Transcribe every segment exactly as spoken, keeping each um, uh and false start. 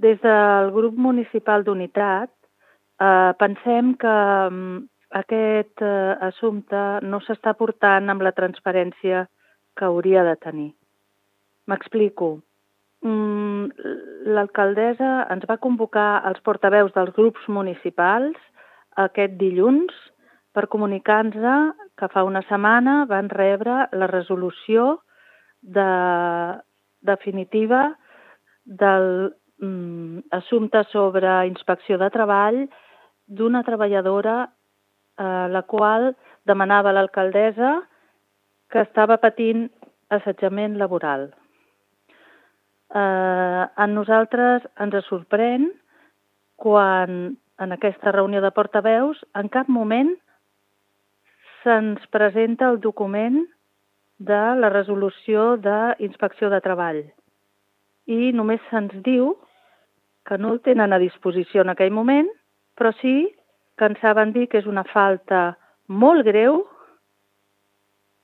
des del grup municipal d'Unitat eh, pensem que mm, aquest eh, assumpte no s'està portant amb la transparència que hauria de tenir. M'explico. Mm, L'alcaldessa ens va convocar als portaveus dels grups municipals aquest dilluns per comunicar-nos que fa una setmana van rebre la resolució de, definitiva del mm, assumpte sobre inspecció de treball d'una treballadora eh, la qual demanava a l'alcaldessa que estava patint assetjament laboral. Eh, a nosaltres ens sorprèn quan en aquesta reunió de portaveus en cap moment se'ns presenta el document de la resolució d'inspecció de treball i només se'ns diu que no el tenen a disposició en aquell moment, però sí que ens saben dir que és una falta molt greu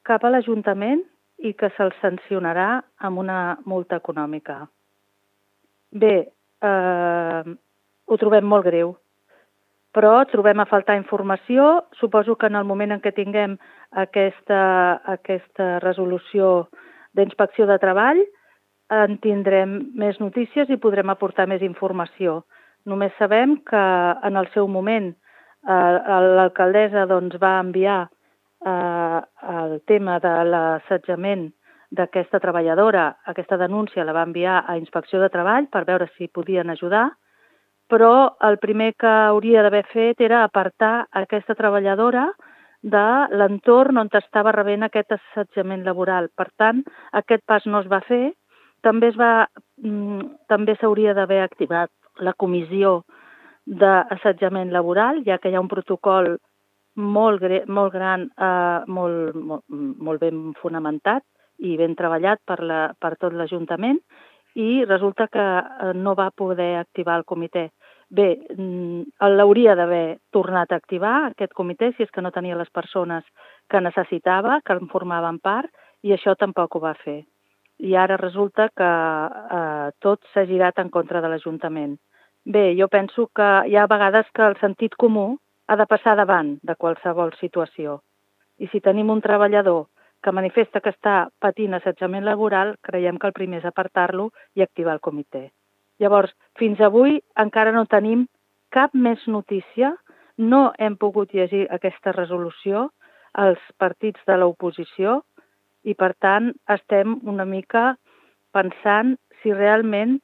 cap a l'Ajuntament i que se'l sancionarà amb una multa econòmica. Bé, eh, ho trobem molt greu, però trobem a faltar informació. Suposo que en el moment en què tinguem aquesta, aquesta resolució d'inspecció de treball en tindrem més notícies i podrem aportar més informació. Només sabem que en el seu moment eh, l'alcaldessa doncs, va enviar eh, el tema de l'assetjament d'aquesta treballadora, aquesta denúncia la va enviar a Inspecció de Treball per veure si podien ajudar, però el primer que hauria d'haver fet era apartar aquesta treballadora de l'entorn on estava rebent aquest assetjament laboral. Per tant, aquest pas no es va fer. També es va, també s'hauria d'haver activat la comissió d'assetjament laboral, ja que hi ha un protocol molt, molt gran, eh, molt, molt, molt ben fonamentat i ben treballat per, la, per tot l'Ajuntament, i resulta que no va poder activar el comitè. Bé, l'hauria d'haver tornat a activar, aquest comitè, si és que no tenia les persones que necessitava, que en formaven part, i això tampoc ho va fer. I ara resulta que eh, tot s'ha girat en contra de l'Ajuntament. Bé, jo penso que hi ha vegades que el sentit comú ha de passar davant de qualsevol situació. I si tenim un treballador que manifesta que està patint assetjament laboral, creiem que el primer és apartar-lo i activar el comitè. Llavors, fins avui encara no tenim cap més notícia, no hem pogut llegir aquesta resolució als partits de l'oposició i, per tant, estem una mica pensant si realment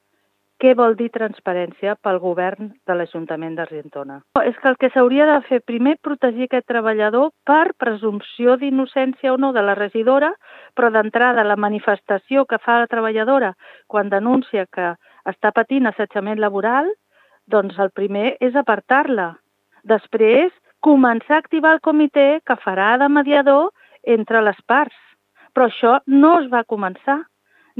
què vol dir transparència pel govern de l'Ajuntament d'Argentona. És que el que s'hauria de fer primer protegir aquest treballador per presumpció d'innocència o no de la regidora, però d'entrada la manifestació que fa la treballadora quan denuncia que està patint assetjament laboral, doncs el primer és apartar-la. Després, començar a activar el comitè que farà de mediador entre les parts. Però això no es va començar,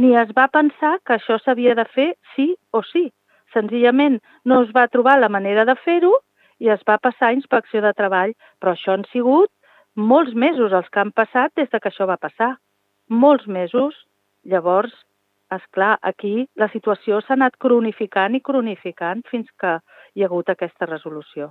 ni es va pensar que això s'havia de fer sí o sí. Senzillament no es va trobar la manera de fer-ho i es va passar a Inspecció de Treball, però això han sigut molts mesos els que han passat des que això va passar. Molts mesos. Llavors, esclar, aquí la situació s'ha anat cronificant i cronificant fins que hi ha hagut aquesta resolució.